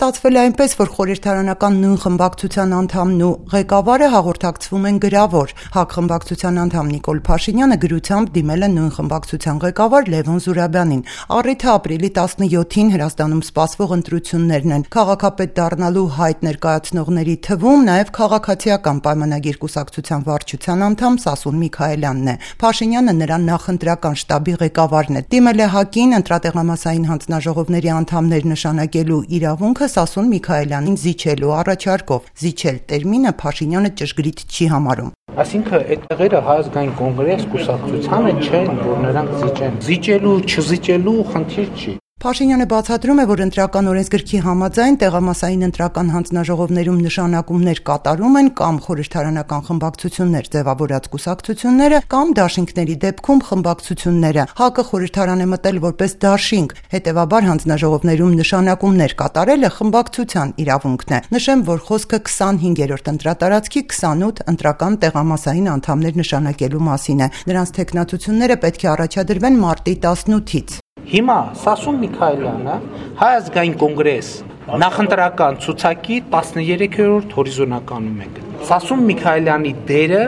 Ստացվել է այնպես, որ խորհրդարանական նույն խմբակցության անդամն ու ղեկավարը հաղորդակցվում են գրավոր։ ՀԱԿ խմբակցության անդամ Նիկոլ Փաշինյանը գրությամբ դիմել է նույն խմբակցության ղեկավար Լևոն Զուրաբյանին։ Առիթը ապրիլի 17-ին Հրազդանում սպասվող ընտրություններն են։ Քաղաքապետ դառնալու հայտ ներկայացնողների թվում նաև քաղաքացիական պայմանագիր կուսակցության վարչության անդամ Սասուն Միքայելյանն է։ Փաշինյանը նրա նախընտրական շտաբի ղեկավարն է։ Դիմել է ՀԱԿ-ին ընտրատեղամասային հանձնաժողովների անդամներ նշանակելու իրավունքը Սասուն Միքայելյանին զիջելու առաջարկով։ Զիջել տերմինը Փաշինյանը ճշգրիտ չի համարում։ Այսինքն այդ տեղերը Հայ ազգային կոնգրես կուսակցությանը չեն, որ նրանք զիջեն։ Զիջելու, չզիջելու խնդիր չի։ Փաշինյանը բացատրում է, որ ընտրական օրենսգրքի համաձայն տեղամասային ընտրական հանձնաժողովներում նշանակումներ կատարում են կամ խորհրդարանական խմբակցություններ ձևավորած կուսակցությունները կամ դաշինքների դեպքում խմբակցությունները։ ՀԱԿ-ը խորհրդարան է մտել որպես դաշինք, հետևաբար հանձնաժողովներում նշանակումներ կատարելը խմբակցության իրավունքն է։ Նշեմ, որ խոսքը 25-րդ ընտրատարածքի 28 ընտրական տեղամասային անդամներ նշանակելու մասին է։ Նրանց թեկնածությունները պետք է առաջադրվեն մարտի 18-ից։ Հիմա Սասուն Միքայելյանը Հայ ազգային կոնգրես նախընտրական ցուցակի 13-րդ հորիզոնականում է։ Սասուն Միքայելյանի դերը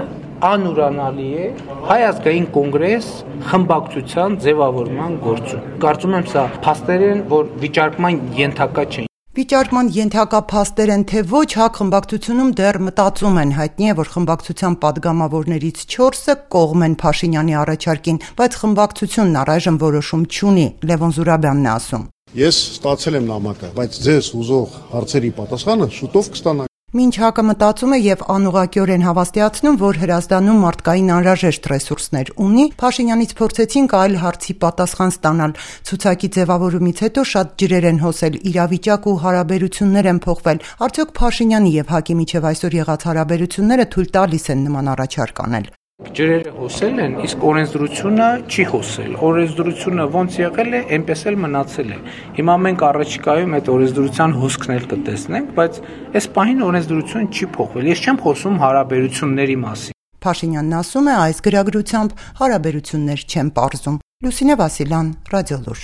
անուրանալի է Հայ ազգային կոնգրես խմբակցության ձևավորման գործում։ Կարծում եմ սա փաստեր են, որ վիճարկման ենթակա չեն։ Վիճարկման ենթակա փաստեր են, թե ոչ, ՀԱԿ խմբակցությունում դեռ մտածում են։ Հայտնի է, որ խմբակցության падգամավորներից 4-ը կողմ են Փաշինյանի առաջարկին, բայց խմբակցությունն առայժմ որոշում չունի, Լևոն Զուրաբյանն է ասում։ Ես ստացել եմ նամակը, բայց ձեզ ուզող հարցերի պատասխանը շուտով կստանաք։ Մինչ ՀԱԿ-ը մտածում է եւ անուղղակիորեն հավաստիացնում, որ Հրազդանում մարդկային անհրաժեշտ ռեսուրսներ ունի, Փաշինյանից փորձեցինք այլ հարցի պատասխան ստանալ։ Ցուցակի ձևավորումից հետո շատ ջրեր են հոսել, իրավիճակ ու հարաբերություններ են փոխվել։ Արդյոք Փաշինյանի եւ ՀԱԿ-ի միջև այսօր եղած հարաբերությունները թույլ տալիս են նման առաջարկ անել։ Ջրերը հոսել են, իսկ օրենսդրությունը չի հոսել։ Օրենսդրությունը ոնց եղել է, այնպես էլ մնացել է։ Հիմա մենք առաջիկայում այդ օրենսդրության հոսքն էլ կտեսնենք, բայց այս պահին օրենսդրությունը չի փոխվել։ Ես չեմ խոսում հարաբերությունների մասին։ Փաշինյանն ասում է, այս գրագրությամբ հարաբերություններ չեն պարզում։ Լուսինե Վասիլյան, Ռադիոլուր։